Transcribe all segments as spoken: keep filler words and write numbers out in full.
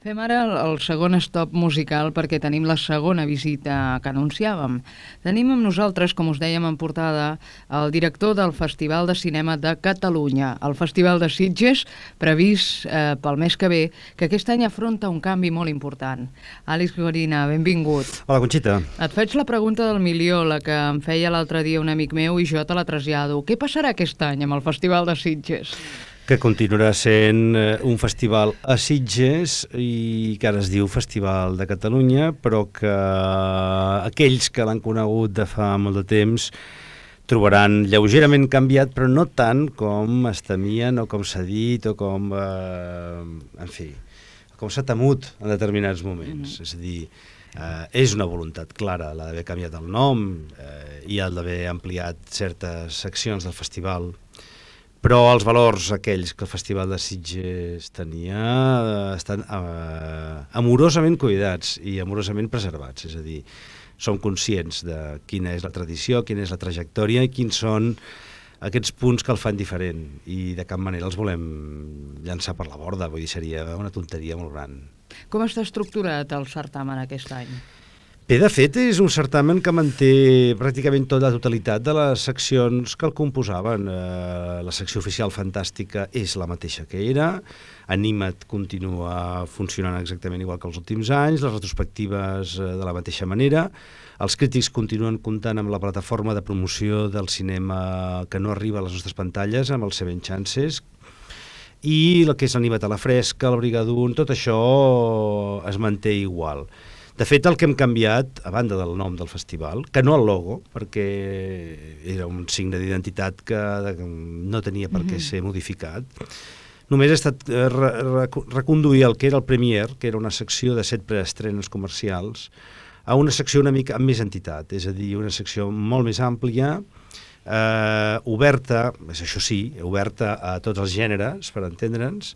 Fem ara el, el segon stop musical perquè tenim la segona visita que anunciàvem. Tenim amb nosaltres, com us dèiem en portada, el director del Festival de Cinema de Catalunya, el Festival de Sitges, previst eh, pel mes que ve, que aquest any afronta un canvi molt important. Àlex Gorina, benvingut. Hola, Conxita. Et faig la pregunta del milió, la que em feia l'altre dia un amic meu i jo te la trasllado. Què passarà aquest any amb el Festival de Sitges? Que continuarà sent un festival a Sitges i que ara es diu Festival de Catalunya, però que aquells que l'han conegut de fa molt de temps trobaran lleugerament canviat, però no tant com es temien o com s'ha dit o com, eh, en fi, com s'ha temut en determinats moments. Mm-hmm. És a dir, eh, és una voluntat clara la d'haver canviat el nom eh, i el d'haver ampliat certes seccions del festival, però els valors aquells que el Festival de Sitges tenia eh, estan eh, amorosament cuidats i amorosament preservats. És a dir, som conscients de quina és la tradició, quina és la trajectòria i quins són aquests punts que el fan diferent. I de cap manera els volem llançar per la borda, vull dir, seria una tonteria molt gran. Com està estructurat el certamen aquest any? Bé, de fet, és un certamen que manté pràcticament tota la totalitat de les seccions que el composaven. Eh, la secció oficial fantàstica és la mateixa que era, Anima't continua funcionant exactament igual que els últims anys, les retrospectives eh, de la mateixa manera, els crítics continuen comptant amb la plataforma de promoció del cinema que no arriba a les nostres pantalles, amb els Seven Chances, i el que és l'Anima't a la fresca, el Brigadoon, tot això es manté igual. De fet, el que hem canviat, a banda del nom del festival, que no el logo, perquè era un signe d'identitat que no tenia per què ser modificat, només ha estat re re reconduir el que era el Premier, que era una secció de set preestrenes comercials, a una secció una mica amb més entitat, és a dir, una secció molt més àmplia, eh, oberta, és això sí, oberta a tots els gèneres, per entendre'ns,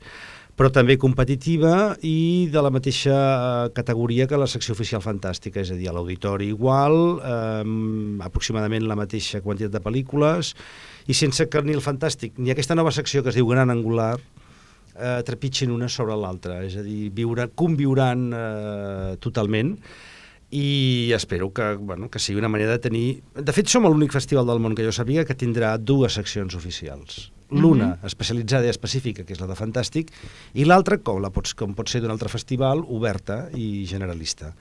però també competitiva i de la mateixa categoria que la secció oficial fantàstica, és a dir, a l'auditori igual, eh, aproximadament la mateixa quantitat de pel·lícules, i sense que ni el fantàstic ni aquesta nova secció que es diu Gran Angular eh, trepitgin una sobre l'altra, és a dir, viure, conviuran eh, totalment, i espero que, bueno, que sigui una manera de tenir... De fet, som l'únic festival del món que jo sabia que tindrà dues seccions oficials. L'una mm-hmm. especialitzada i específica, que és la de Fantàstic, i l'altra, com, la pots, com pot ser d'un altre festival, oberta i generalista.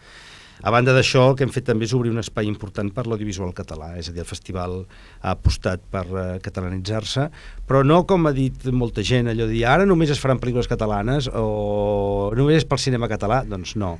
A banda d'això, el que hem fet també és obrir un espai important per l'audiovisual català, és a dir, el festival ha apostat per uh, catalanitzar-se, però no com ha dit molta gent, allò de dir, ara només es faran pel·lícules catalanes o només és pel cinema català, doncs no.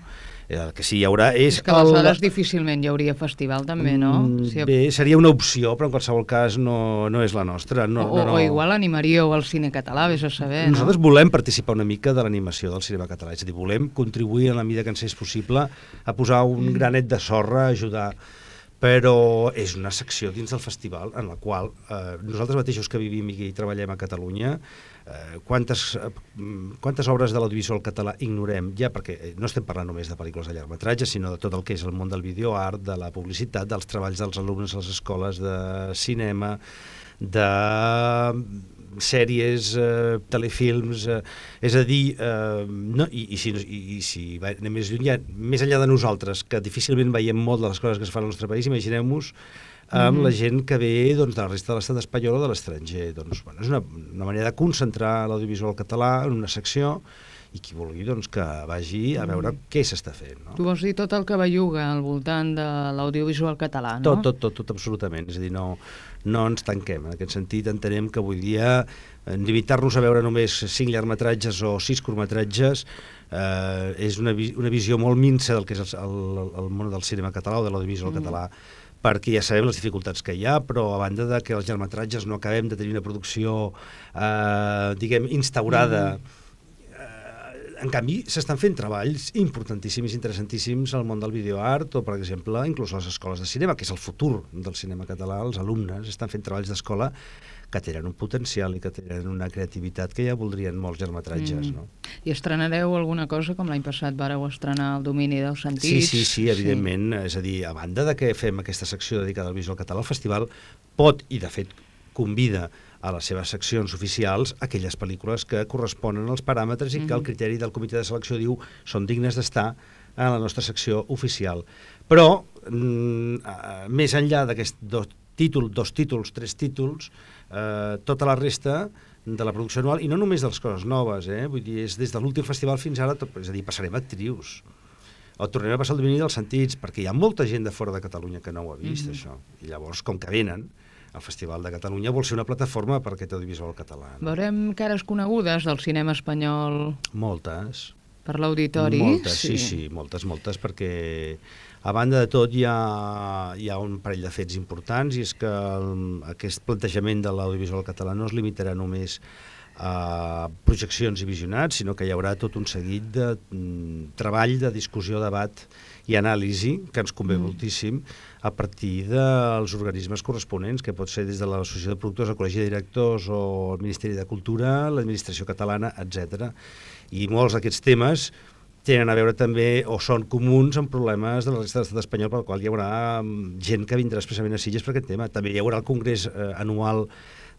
El que sí hi haurà és... És que aleshores el... difícilment hi hauria festival també, no? Mm, si... Bé, seria una opció, però en qualsevol cas no, no és la nostra. No, o, no, no. o igual animaríeu al cine català, vés a saber, Nosaltres no? volem participar una mica de l'animació del cinema català, és a dir, volem contribuir en la mida que ens és possible a posar un mm. granet de sorra, a ajudar, però és una secció dins del festival en la qual eh, nosaltres mateixos que vivim i treballem a Catalunya, eh, quantes, eh, quantes obres de l'audiovisual català ignorem, ja perquè no estem parlant només de pel·lícules de llargmetratge, sinó de tot el que és el món del videoart, de la publicitat, dels treballs dels alumnes a les escoles de cinema, de sèries, eh, telefilms, eh, és a dir, eh, no, i, i si, i, i si anem més lluny, ja, més enllà de nosaltres, que difícilment veiem molt de les coses que es fan al nostre país, imagineu-vos amb mm-hmm. la gent que ve doncs, de la resta de l'estat espanyol o de l'estranger. Doncs, bueno, és una, una manera de concentrar l'audiovisual català en una secció i qui vulgui doncs, que vagi a veure mm. què s'està fent. No? Tu vols dir tot el que belluga al voltant de l'audiovisual català, no? Tot, tot, tot, tot, absolutament. És a dir, no, no ens tanquem. En aquest sentit entenem que avui dia limitar-nos a veure només cinc llargmetratges o sis curtmetratges eh, és una, vi una visió molt minsa del que és el, el, el món del cinema català o de l'audiovisual mm. català, perquè ja sabem les dificultats que hi ha, però a banda de que els llargmetratges no acabem de tenir una producció eh, diguem, instaurada mm. En canvi, s'estan fent treballs importantíssims, interessantíssims al món del videoart o, per exemple, inclús a les escoles de cinema, que és el futur del cinema català. Els alumnes estan fent treballs d'escola que tenen un potencial i que tenen una creativitat que ja voldrien molts llargmetratges. Mm. No? I estrenareu alguna cosa, com l'any passat vareu estrenar El domini dels sentits? Sí, sí, sí, evidentment. Sí. És a dir, a banda de que fem aquesta secció dedicada al visual català, el festival pot, i de fet convida a les seves seccions oficials aquelles pel·lícules que corresponen als paràmetres i que el criteri del comitè de selecció diu són dignes d'estar a la nostra secció oficial. Però, mm, més enllà d'aquests dos títols, dos títols, tres títols, eh, tota la resta de la producció anual, i no només de les coses noves, eh? Vull dir, és des de l'últim festival fins ara, tot, és a dir, passarem actrius, o tornarem a passar el domini dels sentits, perquè hi ha molta gent de fora de Catalunya que no ho ha vist, mm-hmm. això. I llavors, com que venen, el Festival de Catalunya vol ser una plataforma per aquest audiovisual català. No? Veurem cares conegudes del cinema espanyol? Moltes. Per l'auditori? Moltes, sí. sí, sí, moltes, moltes, perquè a banda de tot hi ha, hi ha un parell de fets importants, i és que el, aquest plantejament de l'audiovisual català no es limitarà només a projeccions i visionats, sinó que hi haurà tot un seguit de mm, treball, de discussió, debat i anàlisi, que ens convé mm. moltíssim, a partir dels organismes corresponents, que pot ser des de l'Associació de Productors, el Col·legi de Directors o el Ministeri de Cultura, l'Administració Catalana, etcètera. I molts d'aquests temes tenen a veure també, o són comuns amb problemes de la resta de l'estat espanyol, pel qual hi haurà gent que vindrà expressament a Sitges per aquest tema. També hi haurà el Congrés eh, anual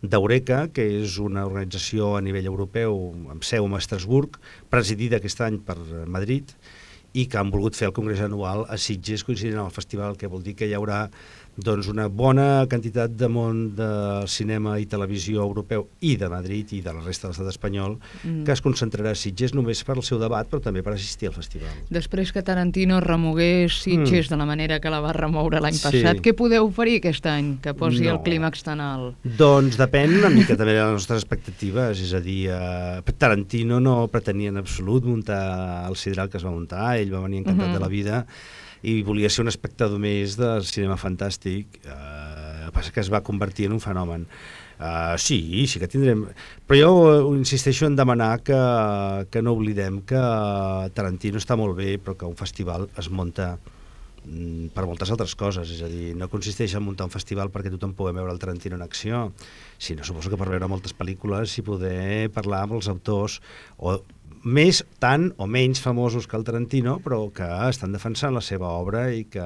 d'Eureka, que és una organització a nivell europeu amb seu a Estrasburg, presidida aquest any per Madrid, i que han volgut fer el Congrés anual a Sitges coincidint amb el festival, que vol dir que hi haurà doncs, una bona quantitat de món de cinema i televisió europeu i de Madrid i de la resta de l'estat espanyol mm. que es concentrarà a Sitges només per al seu debat, però també per assistir al festival. Després que Tarantino remogués Sitges mm. de la manera que la va remoure l'any sí. passat, què podeu oferir aquest any que posi no. el clímax tan alt? Doncs depèn una mica també de les nostres expectatives, és a dir, eh, Tarantino no pretenia en absolut muntar el sidral que es va muntar, ell va venir encantat mm-hmm. de la vida i volia ser un espectador més del cinema fantàstic, eh, el que passa que es va convertir en un fenomen. Uh, sí, sí que tindrem... Però jo insisteixo en demanar que, que no oblidem que Tarantino està molt bé, però que un festival es munta mm, per moltes altres coses, és a dir, no consisteix en muntar un festival perquè tothom pugui veure el Tarantino en acció, sinó suposo que per veure moltes pel·lícules i poder parlar amb els autors, o més, tant o menys famosos que el Tarantino, però que estan defensant la seva obra i que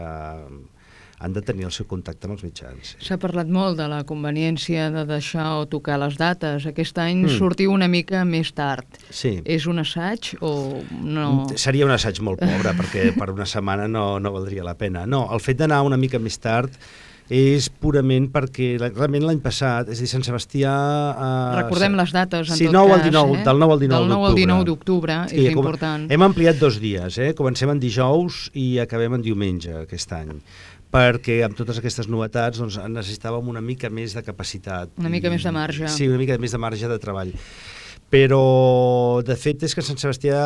han de tenir el seu contacte amb els mitjans. Sí. S'ha parlat molt de la conveniència de deixar o tocar les dates. Aquest any mm. sortiu una mica més tard. Sí. És un assaig o no? Seria un assaig molt pobre, perquè per una setmana no, no valdria la pena. No, el fet d'anar una mica més tard és purament perquè realment l'any passat, és a dir, Sant Sebastià... Eh, Recordem les dates, en sí, tot nou cas. Al dinou, eh? Del nou al dinou d'octubre. Del nou al dinou d'octubre, sí, és com, important. Hem ampliat dos dies, eh? Comencem en dijous i acabem en diumenge aquest any, perquè amb totes aquestes novetats doncs, necessitàvem una mica més de capacitat. Una mica i, més de marge. Sí, una mica més de marge de treball. Però, de fet, és que Sant Sebastià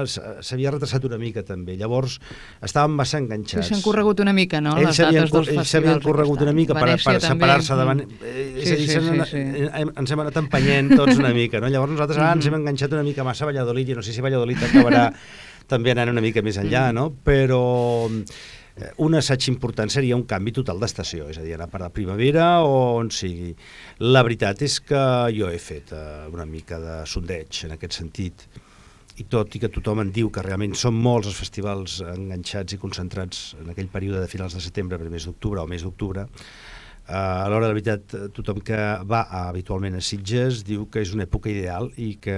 s'havia retrasat una mica, també. Llavors, estàvem massa enganxats. S'han corregut una mica, no?, les dates dels festivals. Ells s'havien corregut una mica per, per separar-se davant... És sí, a dir, sí, sí, sí, sí. ens hem anat empenyent tots una mica, no? Llavors nosaltres ara ens hem enganxat una mica massa a Valladolid, i no sé si Valladolid acabarà també anant una mica més enllà, no? Però un assaig important seria un canvi total d'estació, és a dir, anar per la primavera o on sigui. La veritat és que jo he fet uh, una mica de sondeig en aquest sentit, i tot i que tothom en diu que realment són molts els festivals enganxats i concentrats en aquell període de finals de setembre, primers d'octubre o mes d'octubre, Uh, a l'hora de la veritat, tothom que va a, habitualment a Sitges diu que és una època ideal i que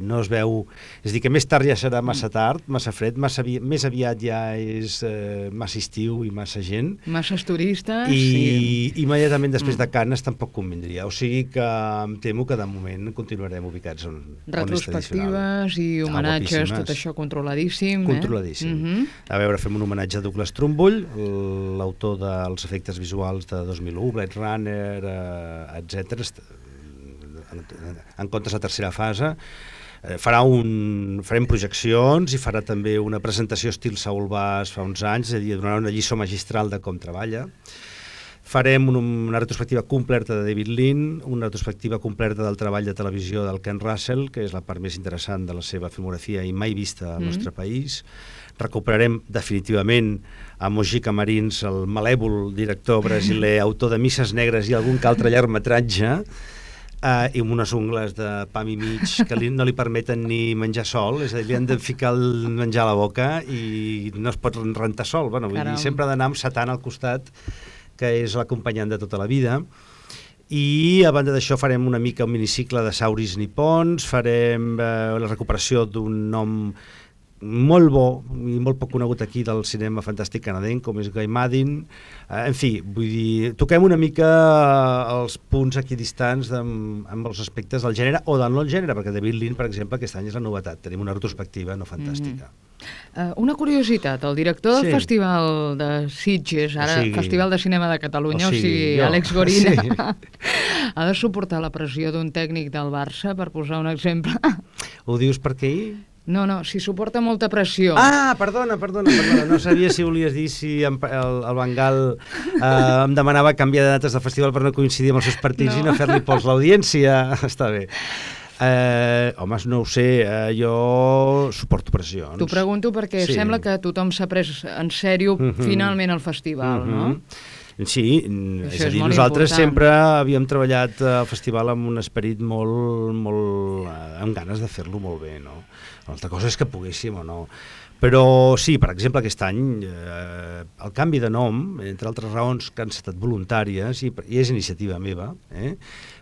no es veu... És a dir, que més tard ja serà massa tard, massa fred, massa avi... més aviat ja és eh, massa estiu i massa gent. Masses turistes. I sí. immediatament després de Canes tampoc convindria. O sigui que em temo que de moment continuarem ubicats on, on és tradicional. Retrospectives i homenatges, ah, tot això controladíssim. Controladíssim. Eh? Mm-hmm. A veure, fem un homenatge a Douglas Trumbull, l'autor dels efectes visuals de dos mil u, Blade Runner, eh, etcètera, en, en comptes de tercera fase. Eh, farà un, farem projeccions i farà també una presentació estil Saul Bass fa uns anys, és a dir, donarà una lliçó magistral de com treballa. Farem un, una retrospectiva completa de David Lean, una retrospectiva completa del treball de televisió del Ken Russell, que és la part més interessant de la seva filmografia i mai vista al mm-hmm. nostre país. Recuperarem definitivament a Mojica Marins, el malèvol director brasiler, autor de Misses Negres i algun que altre llargmetratge, eh, i amb unes ungles de pam i mig que li, no li permeten ni menjar sol, és a dir, li han de ficar el menjar a la boca i no es pot rentar sol. Bueno, vull dir, sempre ha d'anar amb Satan al costat, que és l'acompanyant de tota la vida. i a banda d'això farem una mica un minicicle de sauris nipons, farem eh, la recuperació d'un nom molt bo i molt poc conegut aquí del cinema fantàstic canadenc, com és Guy Maddin. Eh, en fi, vull dir, toquem una mica els punts aquí distants amb, amb els aspectes del gènere o del no-gènere, perquè David Lean, per exemple, aquest any és la novetat. Tenim una retrospectiva no fantàstica. Mm. Uh, una curiositat, el director del sí. Festival de Sitges, ara o sigui, Festival de Cinema de Catalunya, o sigui, o sigui jo. Àlex Gorina, sí. ha de suportar la pressió d'un tècnic del Barça, per posar un exemple. Ho dius perquè ell? No, no, si suporta molta pressió. Ah, perdona, perdona, perdona. No sabia si volies dir si em, el, el Bengal eh, em demanava canviar de dates del festival per no coincidir amb els seus partits no. i no fer-li pols l'audiència. Està bé. Eh, home, no ho sé, eh, jo suporto pressions. T'ho pregunto perquè sí. sembla que tothom s'ha pres en sèrio mm -hmm. finalment el festival, mm -hmm. no? Sí, Això és a dir, és nosaltres important. sempre havíem treballat al festival amb un esperit molt, molt eh, amb ganes de fer-lo molt bé, no? L'altra cosa és que poguéssim o no. Però sí, per exemple, aquest any eh, el canvi de nom, entre altres raons que han estat voluntàries, i, i és iniciativa meva, eh?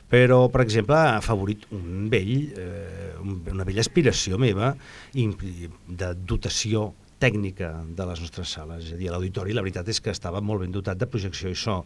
Però, per exemple, ha afavorit un vell, eh, una vella aspiració meva de dotació tècnica de les nostres sales. És a dir, l'auditori, la veritat és que estava molt ben dotat de projecció i so,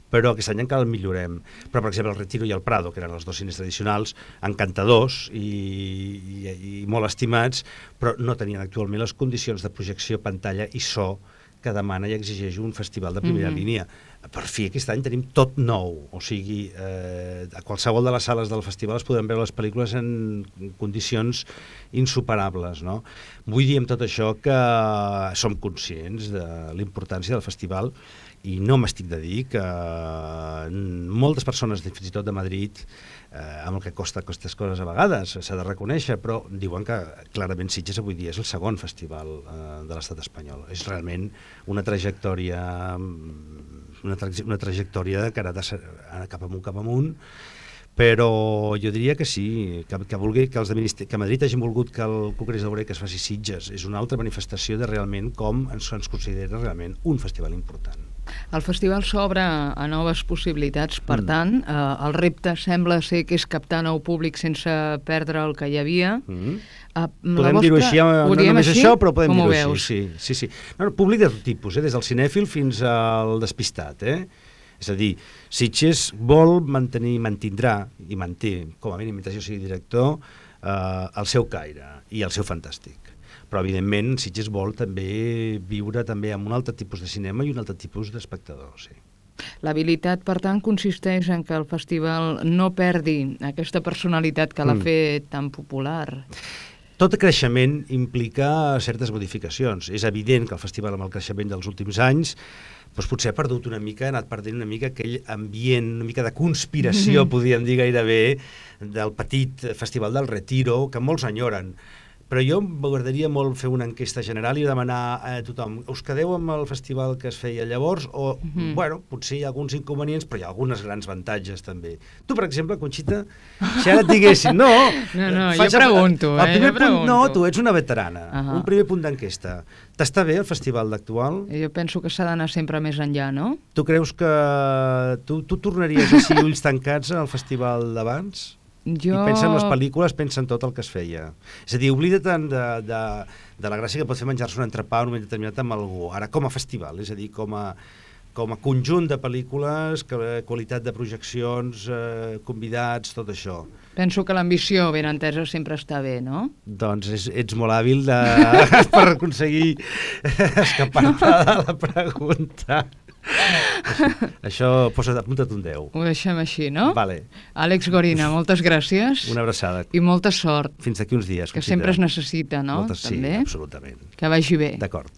però aquest any encara el millorem. Però, per exemple, el Retiro i el Prado, que eren els dos cines tradicionals, encantadors i, i, i molt estimats, però no tenien actualment les condicions de projecció, pantalla i so que demana i exigeix un festival de primera mm-hmm. línia. Per fi, aquest any tenim tot nou, o sigui, eh, a qualsevol de les sales del festival es podran veure les pel·lícules en condicions insuperables, no? Vull dir amb tot això que som conscients de l'importància del festival i no m'estic de dir que moltes persones, fins i tot de Madrid, eh, amb el que costa aquestes coses a vegades, s'ha de reconèixer, però diuen que clarament Sitges avui dia és el segon festival eh, de l'estat espanyol. És realment una trajectòria una, tra una trajectòria que ha anat cap amunt, cap amunt, però jo diria que sí, que, que, vulgui, que, els de que Madrid hagin volgut que el Congrés d'Obrer es faci Sitges és una altra manifestació de realment com ens, ens considera realment un festival important. El festival s'obre a noves possibilitats, per mm. tant, eh, el repte sembla ser que és captar nou públic sense perdre el que hi havia. Mm. Uh, podem dir-ho així, no només així? Això, però podem dir-ho així. Sí, sí, sí. No, no, públic de tot tipus, eh? Des del cinèfil fins al despistat. Eh? És a dir, Sitges vol mantenir, mantindrà i manté, com a mínim, mentre jo sigui director, eh, el seu caire i el seu fantàstic. Però, evidentment, Sitges vol també viure també amb un altre tipus de cinema i un altre tipus d'espectador, sí. L'habilitat, per tant, consisteix en que el festival no perdi aquesta personalitat que l'ha mm. fet tan popular. Tot creixement implica certes modificacions. És evident que el festival, amb el creixement dels últims anys, doncs potser ha perdut una mica, ha anat perdent una mica aquell ambient, una mica de conspiració, mm-hmm. podríem dir gairebé, del petit festival del Retiro, que molts enyoren. Però jo m'agradaria molt fer una enquesta general i demanar a tothom, us quedeu amb el festival que es feia llavors? O, mm-hmm. bueno, potser hi ha alguns inconvenients, però hi ha algunes grans avantatges també. Tu, per exemple, Conxita, si ara et diguessin, no... No, no, jo pregunto, eh, jo pregunto. No, tu ets una veterana, uh-huh. un primer punt d'enquesta. T'està bé el festival d'actual? Jo penso que s'ha d'anar sempre més enllà, no? Tu creus que... Tu, tu tornaries així ulls tancats al festival d'abans? Jo... I pensa en les pel·lícules, pensa en tot el que es feia. És a dir, oblida tant de, de, de la gràcia que pot fer menjar-se un entrepà en un moment determinat amb algú. Ara, com a festival, és a dir, com a, com a conjunt de pel·lícules, qualitat de projeccions, eh, convidats, tot això. Penso que l'ambició ben entesa sempre està bé, no? Doncs és, ets molt hàbil de, per aconseguir escapar-te de la pregunta. Això, posa't, apunta't un deu. Ho deixem així, no? Vale. Àlex Gorina, moltes gràcies. Una abraçada. I molta sort. Fins d'aquí uns dies. Que sempre es necessita, no? Moltes, sí, també. Absolutament. Que vagi bé. D'acord.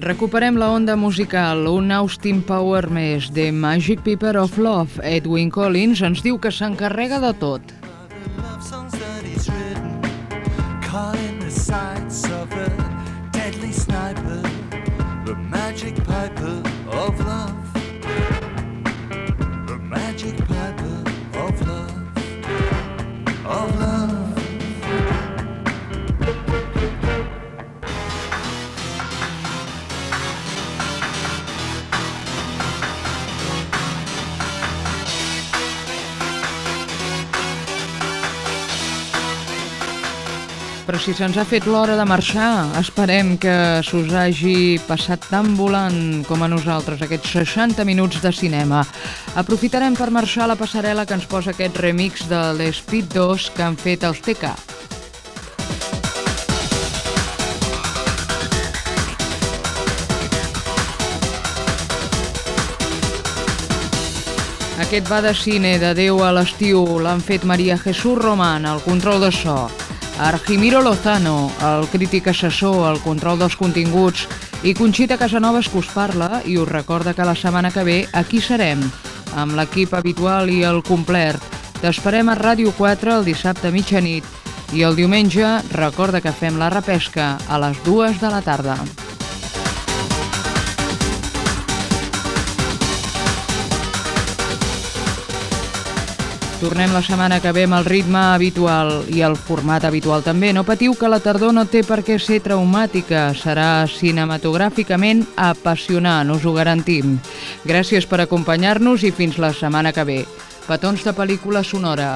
Recuperem la onda musical, un Austin Power més, The Magic Pepper of Love. Edwyn Collins ens diu que s'encarrega de tot. però si se'ns ha fet l'hora de marxar, esperem que s'us hagi passat tan volant com a nosaltres aquests seixanta minuts de cinema. Aprofitarem per marxar a la passarel·la que ens posa aquest remix de l'Speed dos que han fet els T K. Aquest va de cine, d'adeu a l'estiu, l'han fet Maria Jesús Román, al control de so, Argimiro Lozano, el crític assessor, al control dels continguts, i Conxita Casanovas, que us parla i us recorda que la setmana que ve aquí serem, amb l'equip habitual i el complet. T'esperem a Ràdio quatre el dissabte a mitjanit i el diumenge recorda que fem la repesca a les dues de la tarda. Tornem la setmana que ve amb el ritme habitual i el format habitual també. No patiu que la tardor no té per què ser traumàtica. Serà cinematogràficament apassionant, us ho garantim. Gràcies per acompanyar-nos i fins la setmana que ve. Petons de pel·lícula sonora.